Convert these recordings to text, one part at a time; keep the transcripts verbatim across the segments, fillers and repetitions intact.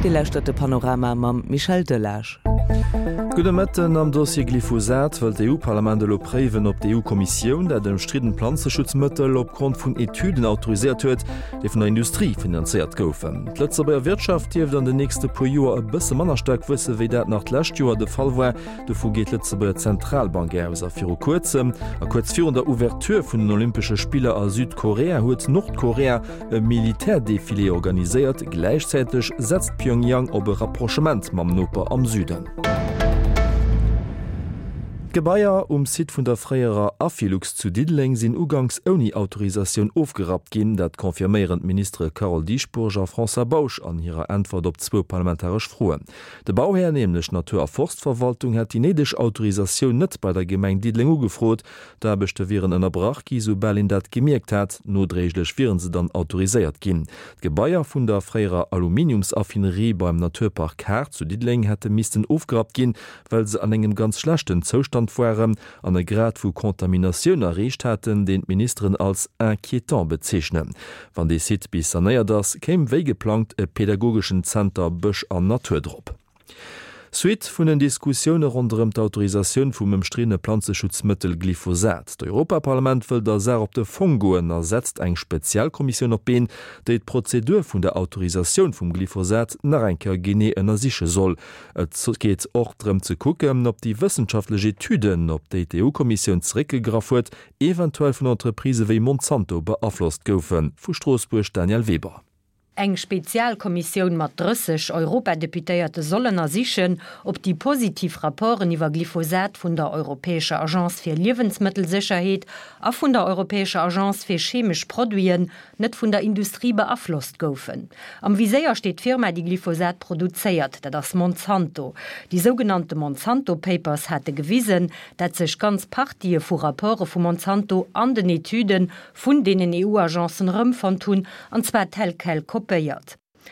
Dir lauschtert de Panorama mam Michel Delage. Gudde Mëtten, Am Dossier Glyphosat wëll d'EU-Parlament elo préiwen, ob d'EU-Kommissioun dat ëmstriddent Planzeschutzmëttel opgrond vun Etüden autoriséiert huet, déi vun der Industrie finanzéiert goufen. D'Lëtzebuerger Wirtschaft dierft an den nächste puer Joer e bësse manner staark wuesse wéi dat nach d'lescht Joer de Fall war. Dovu geet d'Lëtzebuerger Zentralbank aus. A viru kuerzem a kuerz virun der Ouverture vun den Olympesche Spiller a Südkorea huet Nordkorea e Militärdefilé organiséiert. Gläichzäiteg setzt Pyongyang op e Rapprochement mam Noper am Süden. D'Gebaier um Site vun der fréierer Affilux zu Diddeleng sinn uganks ouni Autorisatioun ofgerappt ginn. Dat confirméieren d'Ministere Carole Dieschbourg a François Bausch an hirer Äntwert op zwou parlamentaresch Froen. De Bauhär, nämlech d'Natur a Forstverwaltung, hätt déi néideg Autorisatioun net bei der Gemeng Diddeleng ugefrot. D'Aarbechte wieren ënnerbrach gi soubal een dat gemierkt hat. Nodréiglech wiere se dann autoriséiert ginn. D'Gebaier vun der fréierer Aluminiumsaffinerie beim Naturpark Haard zu Diddeleng hätte missten ofgerappt ginn, well se an engem ganz schlechten Zoustand waren an e Grad vu Kontaminatioun erreecht haten, deen d'Ministeren als inquiétant bezeechnen. Wann dee Site bis sanéiert ass, kéim wéi geplangt e pedagogeschen Zenter Bësch an Natur drop. Suite vun den Diskussioune ronderëm d'Autorisatioun vum ëmstriddene Planzeschutzmëttel Glyphosat. D'Europaparlament wëll der Saach op de Fong goen a setzt eng Spezialkommissioun op d'Been, déi d'Prozedur vun der Autorisatioun vum Glyphosat nach eng Kéier genee ënnersiche soll. Et geet och drëm ze kucken, ob déi wëssenschaftlech Etüden, op déi d'EU-Kommissioun zeréckgegraff huet, eventuell vun Entreprisë wéi Monsanto beaflosst goufen. Vu Stroossbuerg Danièle Weber. Eng Spezialkommissioun mat drësseg Europadeputéierte soll ënnersichen, ob déi positiv Rapporten iwwer Glyphosat vun der Europäescher Agence fir Liewensmëttelsécherheet a vun der Europäescher Agence fir chemesch Produiten net vun der Industrie beaflosst goufen. Am Viséier steet d'Firma, déi Glyphosat produzéiert, dat ass Monsanto. Déi sougenannte Monsanto Papers hate gewisen, dat sech ganz Partië vu Rapporte vu Monsanto an den Etüde vun deenen EU-Agencen erëmfonnt hunn, an zwar tel quel kopéiert.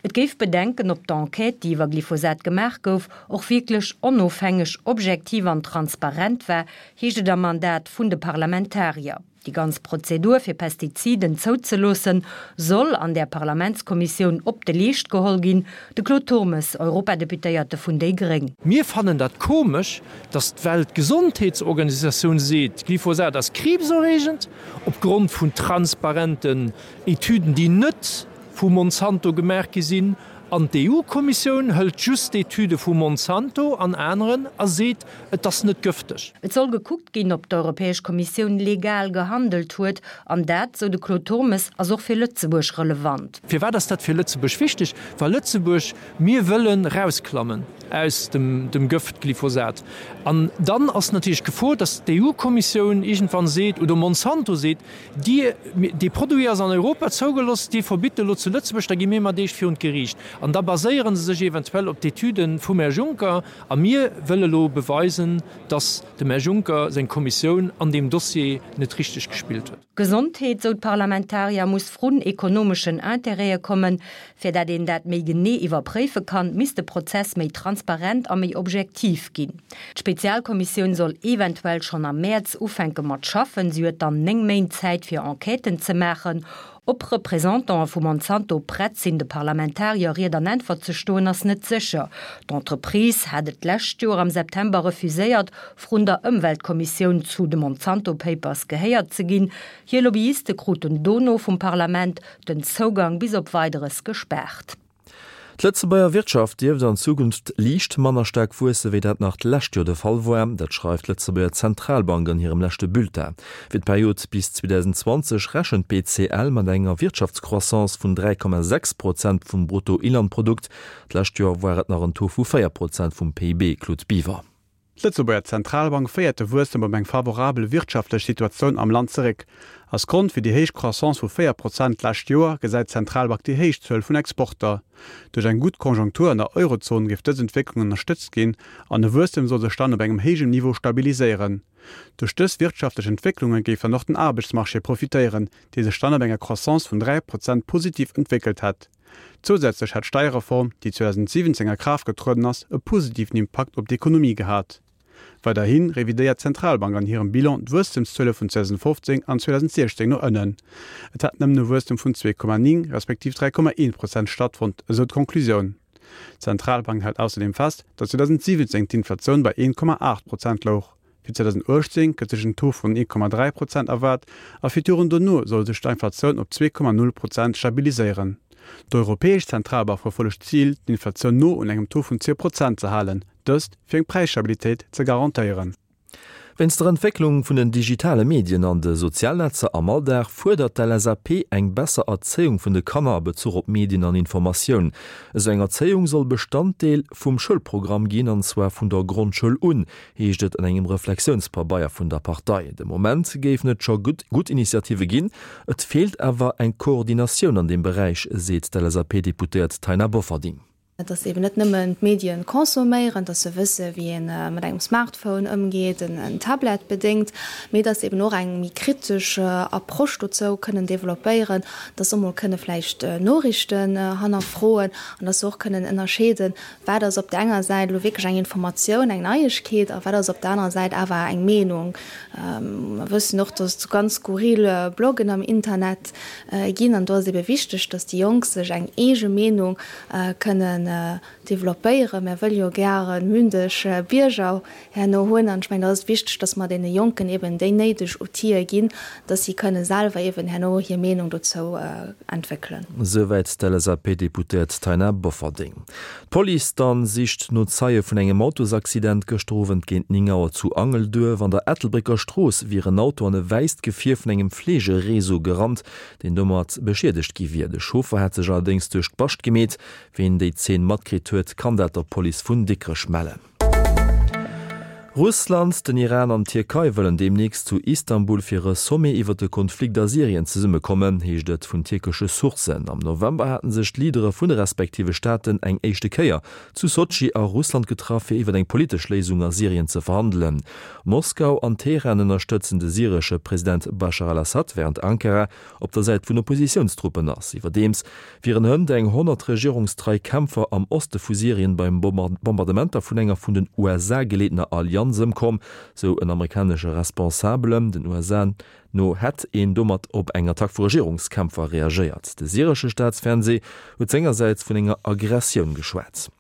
Et géif Bedenken, ob d'Enquête, déi iwwer Glyphosat gemaach gouf, och wierklech onofhängeg, objektiv an transparent war, heescht et am Mandat vun de Parlamentarier. Déi ganz Prozedur, fir Pestiziden zouzeloossen, soll an där Parlamentskommissioun op de Leescht geholl ginn. De Claude Turmes, Europadeputéierte vun déi gréng. Mir fannen dat komesch, datt d'Weltgesondheetsorganisatioun seet, Glyphosat ass kriibserreegend, opgrond vun transparenten Etüden, déi net vu Monsanto gemaach gi sinn, an d'EU-Kommissioun hëlt just d'Etüde vu Monsanto an aneren a seet, et ass net gëfteg. Et soll gekuckt ginn, ob d'Europäesch Kommissioun legal gehandelt huet, an dat, sou de Claude Turmes, ass och fir Lëtzebuerg relevant. Firwat ass dat fir Lëtzebuerg wichteg? Well Lëtzebuerg, mir wëllen erausklammen aus dem Gëft Glyphosat. An dann ass natierlech d'Gefor, datt d'EU-Kommissioun iergendwann seet, oder Monsanto seet, Dir, dee Produit ass an Europa zougelooss, Dir verbitt e lo zu Lëtzebuerg, da gi mir mat Iech virun d'Geriicht. An da baséiere se sech eventuell op d'Etüde vum Här Juncker. A mir wëlle lo beweisen, datt dem Här Juncker seng Kommissioun an deem Dossier net richteg gespillt huet. D'Gesondheet, sou d'Parlamentarier, muss vrun ekonomeschen Interête kommen. Fir dat een dat méi genee iwwerpréife kann, misst de Prozess méi transparent a méi objektiv ginn. D'Spezialkommissioun soll eventuell schonn am Mäerz ufänke mat schaffen. Si huet dann néng Méint Zäit fir Enquêten ze maachen. Ob Representantë vu Monsanto prett sinn, de Parlamentarier Ried an Äntwert ze stoen, ass net sécher. D'Entreprise hat et d'lescht Joer am September refuséiert, vrun der Ëmweltkommissioun zu de Monsanto Papers gehéiert ze ginn. Hir Lobbyiste kruten dono vum Parlament den Zougang bis op Weideres gespaart. D'Lëtzebuerger Wirtschaft dierft an Zukunft liicht manner staark wuesse wéi dat nach d'lescht Joer de Fall war. Dat schreift d'Lëtzebuerger Zentralbank an hirem leschte Bulletin. Fir d'Period bis zweedausendenzwanzeg rechent d'BCL mat enger Wirtschaftscroissance vun dräi Komma sechs Prozent vum Bruttoinlandprodukt. D'lescht Joer war et nach en Taux vu véier Prozent vum P I B. Claude Biver. D'Lëtzebuerger Zentralbank féiert de Wuesstem op eng favorabel wirtschaftlech Situatioun am Land zeréck. Als Grond fir déi héich Croissance vu véier Prozent d'lescht Joer gesäit d'Zentralbank déi héich Zuel vun Exporter. Duerch eng gutt Konjunktur an der Eurozon géif dës Entwécklung ënnerstëtzt ginn an de Wuesstem soll sech dann op engem héijem Niveau stabiliséieren. Duerch dës wirtschaftlech Entwécklunge géif dann och den Aarbechtsmarché profitéieren, dee sech dann op enger Croissance vun dräi Prozent positiv entwéckelt hätt. Zousätzlech hätt d'Steierreform, déi zweedausendsiwwenzéng a Kraaft getrueden ass, e positiven Impakt op d'Ekonomie gehat. Weiderhi revidéiert d'Zentralbank an hirem Bilan d'Wuesstemszuele vun zweedausendfofzéng an zweedausendsiechzéng no ënnen. Et hätt nëmmen e Wuesstem vun zwee Komma néng respektiv dräi Komma eent Prozent stattfonnt, esou d'Conclusioun. D'Zentralbank hält ausserdeem fest, datt zweedausendsiwwenzéng d'Inflatioun bei een Komma aacht Prozent louch. Fir zweedausendachtzéng gëtt sech en Taux vun ee Komma dräi Prozent erwaart a fir d'Joren dono soll sech d'Inflatioun op zwee Komma null Prozent stabiliséieren. D'Europäesch Zentralbank verfollegt d'Zil, d'Inflatioun no un engem Taux vun zwee Prozent ze halen, dëst fir eng Präisstabilitéit ze garantéieren. Wéinst der Entwécklung vun den digitale Medien an de Sozialnetzer am Alldag fuerdert d'LSAP eng besser Erzéiung vun de Kanner a Bezuch op Medien an Informatioun. Esou eng Erzéiung soll Bestanddeel vum Schoulprogramm ginn, an zwar vun der Grondschoul un, heescht et an engem Reflexiounspabeier vun der Partei. De Moment géifen et scho gutt Initiative ginn, et feelt awer eng Koordinatioun an deem Beräich, seet d'LSAP-Deputéiert Taina Bofferding. Dass se eben net nëmmen d'Medien consomméieren, dass se wësse wéi ee mat engem Smartphone ëmgeet, en Tablet bedéngt, mee dass se eben och eng méi kritesch Approche dozou kënnen developpéieren, dass se och mol kënne vläicht Noriichten hannerfroen an dass se och kënnen ënnerscheeden, wat ass op der enger Säit elo wierklech eng Informatioun, eng Neiegkeet a wat ass op der anerer Säit awer eng Meenung. Mer wëssen och, dass et ganz skurril Bloggen am Internet ginn an do ass et ebe wichteg, dass déi Jonk sech eng eege Meenung kënnen developpéieren. Mär wëlle jo gäre mündeg Bierger herno hunn. An ech mengen, da ass et wichteg, dass mer deene Jonken eben déi néideg Outile ginn, dass si kënne selwer eben herno hir Meenung dozou entwéckelen. Souwäit d'LSAP-Deputéiert Taina Bofferding. D'Police dann sicht no Zeie vun engem Autosaccident gëschter Owend géint néng Auer zu Angelduerf. An der Ettelbrécker Strooss wier en Auto an e wäisst Gefier vun engem Fleegereseau gerannt, deen domat beschiedegt gi wier. De Chauffer hätt sech allerdéngs duerch d'Bascht gemeet. Ween déi Zeen matkritt huet, kann dat der Police vun Dikrech mellen. Russland, den Iran an d'Tierkei wëllen deemnächst zu Istanbul fir e Sommet iwwer de Konflikt a Syrien zesummekommen, heescht et vun tierkesche Sourcen. Am November haten sech d'Leadere vun de respektive Staaten eng éischte Kéier zu Sotschi a Russland getraff, fir iwwer eng politesch Léisung a Syrien ze verhandelen. Moskau an Teheran ënnerstëtzen de syresche President Baschar al-Assad, wärend Ankara op der Säit vun Oppositiounstruppen ass. Iwwerdeems wieren hënt eng honnert regierungstrei Kämpfer am Oste vu Syrien beim Bombardementer vun enger vun den U S A geleetener Allianz ëmkomm, sou en amerikanesche Responsabelen. Den U S A no hätt een domat op eng Attack vu Regierungskämpfer reagéiert. De syresche Staatsfernsee huet sengersäits vun enger Aggressioun geschwat.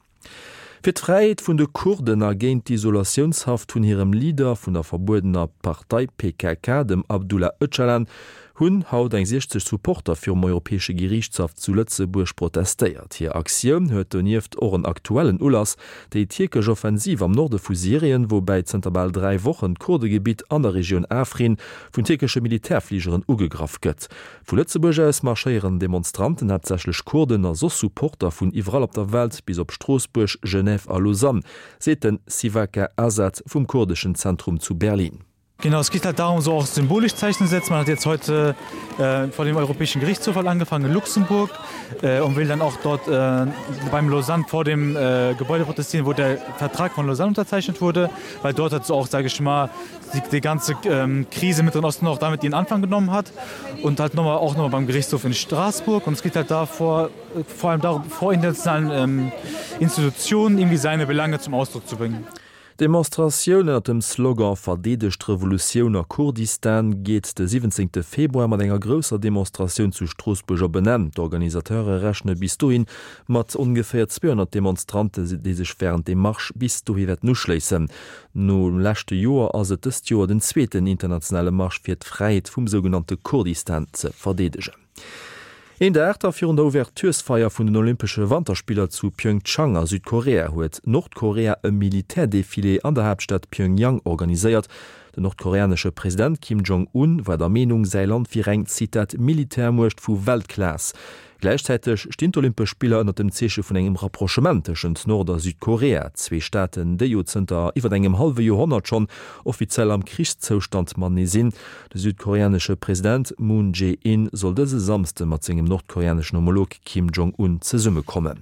Fir d'Fräiheet vun de Kurden a géint d'Isolatiounshaft vun hirem Leader vun der verbuedener Partei P K K, dem Abdullah Öcalan, hunn haut eng siechzeg Supporter virum Europäesche Geriichtshaff zu Lëtzebuerg protestéiert. Hir Aktioun huet donieft och en aktuellen Ulass, déi tierkesch Offensiv am Norde vu Syrien, woubäi zënter bal dräi Wochen d'Kurdegebitt an der Regioun Afrin vun tierkesche Militärfligeren ugegraff gëtt. Vu Lëtzebuerg aus marschéieren Demonstranten, haaptsächlech Kurden a soss Supporter vun iwwerall op der Welt bis op Stroossbuerg, Genève a Lausanne, seet den Sivaka Azad vum kurdeschen Zentrum zu Berlin. Genau, es geht halt darum, so auch symbolisch Zeichen zu setzen. Man hat jetzt heute, äh, vor dem Europäischen Gerichtshof halt angefangen in Luxemburg, äh, und will dann auch dort, äh, beim Lausanne vor dem, äh, Gebäude protestieren, wo der Vertrag von Lausanne unterzeichnet wurde, weil dort hat so auch, sage ich mal, die, die ganze, ähm, Krise mit dem Osten auch damit ihren Anfang genommen hat und halt nochmal, auch nochmal beim Gerichtshof in Straßburg. Und es geht halt davor, vor allem darum, vor internationalen, ähm, Institutionen irgendwie seine Belange zum Ausdruck zu bringen. Demonstratioun ënner dem Slogan Verdeedegt d'Revolutioun a Kurdistan geet de siwwenzéngte Februar mat enger grousser Demonstratioun zu Stroossbuerg op en Enn. D'Organisateure rechne bis dohin mat ongeféier zweehonnert Demonstrante, déi sech wärend dem Marsch bis dohi wäerten uschléissen. Nom leschte Joer ass et dëst Joer den zweeten internationale Marsch fir d'Fräiheet vum sougenannte Kurdistan ze verdeedegen. Een Dag da virun der Ouverturesfeier vun den Olympesche Wanterspiller zu Pyeongchang a Südkorea huet Nordkorea e Militärdefilé an der Haaptstad Pyongyang organiséiert. Den nordkoreanesche President Kim Jong-un war der Meenung, säi Land wier eng, Zitat, Militärmuecht vu Weltklass. Gläichzäiteg stinn d'Olympesch Spiller ënner dem Zeeche vun engem Rapprochement tëschent Nord- a Südkorea, zwee Staaten, déi jo zënter iwwer engem hallwe Joerhonnert schonn offiziell am Krichszoustand matenee sinn. De südkoreanesche President Moon Jae-in soll dëse Samsde mat sengem nordkoreaneschen Homolog Kim Jong-un zesummekommen.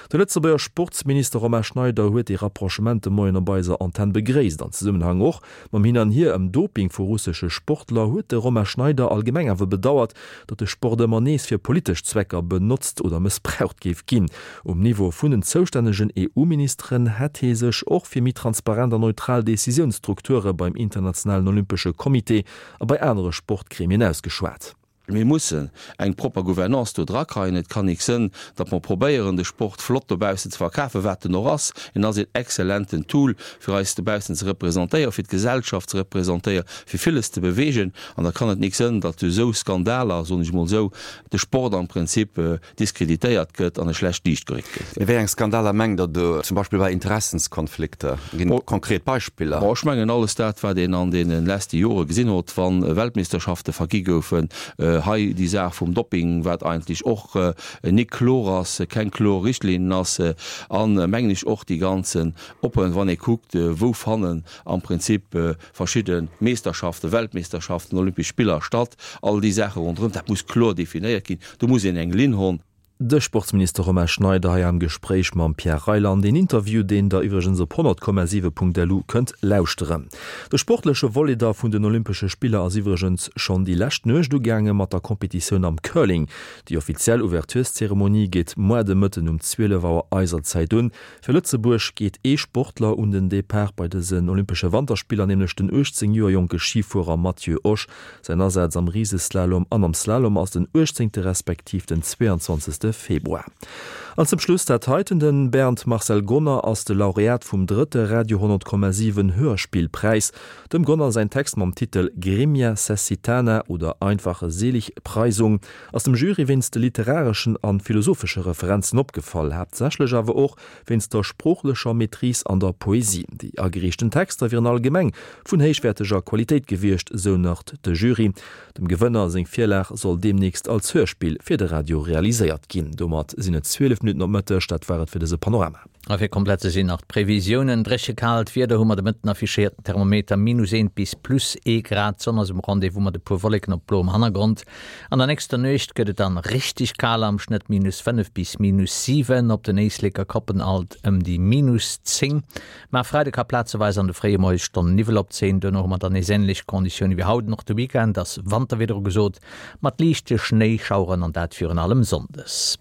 De Lëtzebuerger Sportsminister Romain Schneider huet dee Rapprochement de Moien op eiser Antenn begréisst. An Zesummenhang och mam Hin an Hier ëm Doping vu russesche Sportler huet de Romain Schneider allgemeng awer bedauert, datt de Sport ëmmer nees fir politesch Zwecker benotzt oder mëssbraucht géif ginn. Um Niveau vun den zoustännegen E U-Ministeren hätt hie sech och fir méi transparent an neutral Decisiounsstrukture beim Internationalen Olympesche Comité a bei anere Sportgremien ausgeschwat. Mir mussen eng propper Gouvernance do drakreien. Et kann nik sënn, datt mer probéieren, de Sport flott dobaussen ze verkafen, wat en och ass. En ass een exzellenten Tool, fir eis dobaussen ze representéieren, fir d'Gesellschaft ze representéieren, fir villes ze beweegen. An da kann et nik sënn, datt duerch esou Skandaler, soen ech emol esou, de Sport am Prinzip diskreditéiert gëtt an e schlecht Liicht geréckt gëtt. Mee wéi eng Skandaler mengt Der do? Zum Beispill bei Interessenskonflikter? Ginn et konkret Beispiller? Bon, ech mengen alles dat, wat een an deene leschte Jore gesinn huet, wa Weltmeeschterschafte vergi goufen, hei déi Saach vum Dopping, wat eigentlech och nik kloer ass, keng kloer Richtlinnen ass, an, mengen ech, och déi ganzen oppen, wann ee kuckt, wou fannen am Prinzip verschidde Meesterschaften, Weltmeesterschaften, Olympesch Spiller statt, all déi Saache ronderëm, dat muss kloer definéiert ginn, do muss een eng Linn honn. De Sportsminister Romain Schneider hei am Gespréich mam Pierre Reyland. Een Interview, deen der iwwregens op honnert Komma siwe Punkt lu kënnt lauschteren. De sportleche Volet da vun den Olympesche Spiller ass iwwregens schonn déi lescht Nuecht ugaange mat der Competitioun am Curling. Déi offiziell Ouvertureszeremonie geet muer de Mëtten um zwielef Auer eiser Zäit un. Fir Lëtzebuerg geet ee Sportler un den Depart bei dësen Olympesche Wanterspiller, nämlech den uechtzéng Joer jonke Schifuerer Matthieu Osch. Säin Asaz am Riseslalom an am Slalom ass den uechtzéngte respektiv den zweeanzwanzegste Februar. An zum Schluss dat heiten, Den Bernd Marcel Gonner ass de Laureat vum drëtte Radio honnert Komma siwen Hörspillpräis. Dem Gonner säin Text mam Titel Grimmia Cessitana oder Einfache Seligpreisung ass dem Jury wéinst de literareschen an philosophesche Referenzen opgefall, haaptsächlech awer och wéinst der sproochlecher Maîtrise an der Poesie. Déi agereechten Texter wieren allgemeng vun héichwäerteger Qualitéit gewiescht, sou nach de Jury. Dem Gewënner seng Virlag soll deemnächst als Hörspill fir de Radio realiséiert ginn. Domat sinn et zwielef Minutten op Mëtteg, dat war et fir dëse Panorama. A fir komplett ze sinn nach d'Previsiounen, Dréchekaalt Wieder hu mer de Mëtten, affichéierten Thermometer minus eent bis plus ee Grad, d'Sonn ass um Rendez-vous mat e puer Wolleken op bloem Hannergrond. An der nächster Nuecht gëtt et dann richteg kal, am Schnëtt minus fënnef bis minus siwen, op den Éisleker Koppen alt ëm déi minus zéng. Ma e Freide ka plazeweis an de fréie Moiesstonnen Niwwel opzéien, duerno hu mer dann nees änlech Konditioune wéi haut. An och de Weekend ass Wanterwieder ugesot, mat liichte Schnéischaueren an dat virun allem sonndes.